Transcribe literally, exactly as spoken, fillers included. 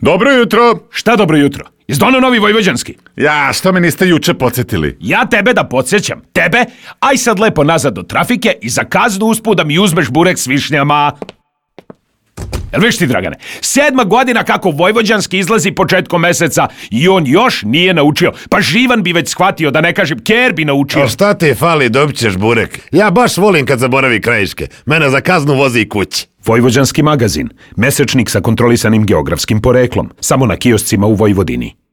Dobro jutro. Šta dobro jutro? Izdono novi vojvođanski? Ja, što me niste juče podsjetili? Ja tebe da podsjećam. Tebe? Aj sad lepo nazad do trafike i za kaznu usput da mi uzmeš burek s višnjama. Jel viš ti, Dragane? Sedma godina kako vojvođanski izlazi početkom meseca i on još nije naučio. Pa Živan bi već shvatio, da ne kažem, Ker bi naučio. A šta ti fali, dobit ćeš burek. Ja baš volim kad zaboravi krajiške. Mene za kaznu vozi i kući. Vojvođanski magazin. Mesečnik sa kontrolisanim geografskim poreklom. Samo na kioscima u Vojvodini.